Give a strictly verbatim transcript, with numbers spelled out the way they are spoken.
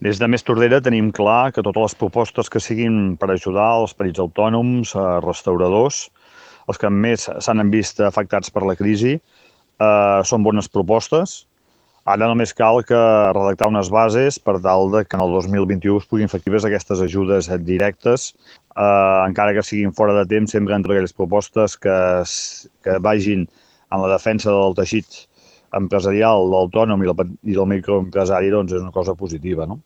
Des de Més Tordera tenim clar que totes les propostes que siguin per ajudar els petits autònoms, eh, restauradors, els que més s'han vist afectats per la crisi, eh, són bones propostes. Ara només cal que redactar unes bases per tal de que en el dos mil vint-i-u es puguin fer efectives aquestes ajudes directes, eh, encara que siguin fora de temps, sempre entre aquelles propostes que, que vagin en la defensa del teixit empresarial, l'autònom i, i del microempresari, doncs és una cosa positiva, no?